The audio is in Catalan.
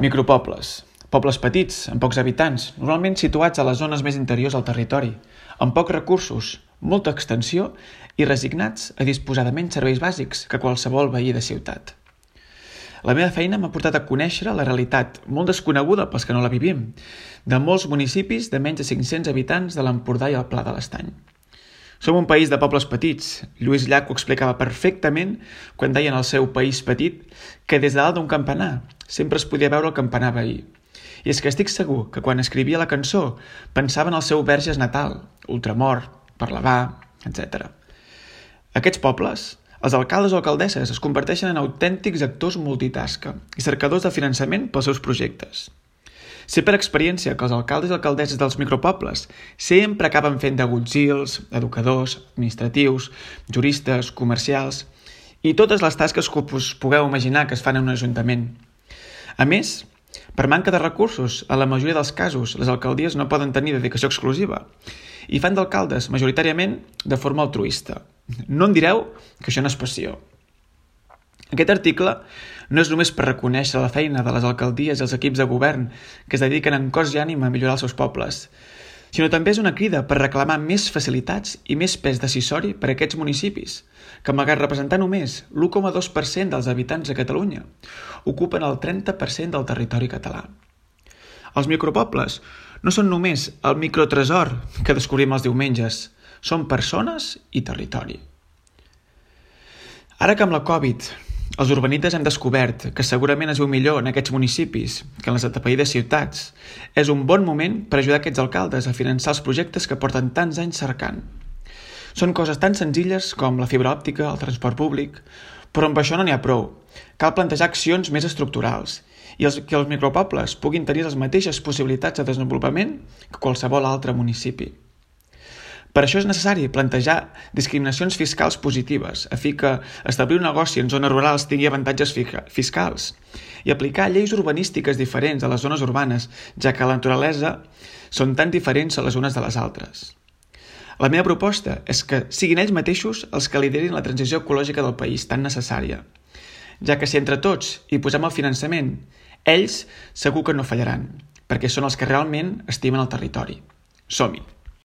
Micropobles. Pobles petits, amb pocs habitants, normalment situats a les zones més interiors del territori, amb pocs recursos, molta extensió i resignats a disposar de menys serveis bàsics que qualsevol veí de ciutat. La meva feina m'ha portat a conèixer la realitat, molt desconeguda pels que no la vivim, de molts municipis de menys de 500 habitants de l'Empordà i el Pla de l'Estany. Som un país de pobles petits. Lluís Llach ho explicava perfectament quan deia en el seu País petit que des de dalt d'un campanar sempre es podia veure el campanar veí. I és que estic segur que quan escrivia la cançó pensava en el seu Verges natal, Ultramort, Parlavà, etc. Aquests pobles, els alcaldes o alcaldesses es converteixen en autèntics actors multitasca i cercadors de finançament pels seus projectes. Sé per experiència que els alcaldes i alcaldesses dels micropobles sempre acaben fent d'agutzils, educadors, administratius, juristes, comercials i totes les tasques que us pugueu imaginar que es fan en un ajuntament. A més, per manca de recursos, en la majoria dels casos, les alcaldies no poden tenir dedicació exclusiva i fan d'alcaldes majoritàriament de forma altruista. No em direu que això no és passió. Aquest article no és només per reconèixer la feina de les alcaldies i els equips de govern que es dediquen en cos i ànima a millorar els seus pobles, sinó també és una crida per reclamar més facilitats i més pes decisori per a aquests municipis, que malgrat representar només l'1,2% dels habitants de Catalunya, ocupen el 30% del territori català. Els micropobles no són només el microtresor que descobrim els diumenges, són persones i territori. Ara que amb la Covid els urbanites hem descobert que segurament es viu millor en aquests municipis que en les atapeïdes ciutats, és un bon moment per ajudar aquests alcaldes a finançar els projectes que porten tants anys cercant. Són coses tan senzilles com la fibra òptica, el transport públic, però amb això no n'hi ha prou. Cal plantejar accions més estructurals i que els micropobles puguin tenir les mateixes possibilitats de desenvolupament que qualsevol altre municipi. Per això és necessari plantejar discriminacions fiscals positives, a fi que establir un negoci en zones rurals tingui avantatges fiscals i aplicar lleis urbanístiques diferents a les zones urbanes, ja que la naturalesa són tan diferents a les unes de les altres. La meva proposta és que siguin ells mateixos els que liderin la transició ecològica del país tan necessària, ja que si entre tots hi posem el finançament, ells segur que no fallaran, perquè són els que realment estimen el territori. Som-hi!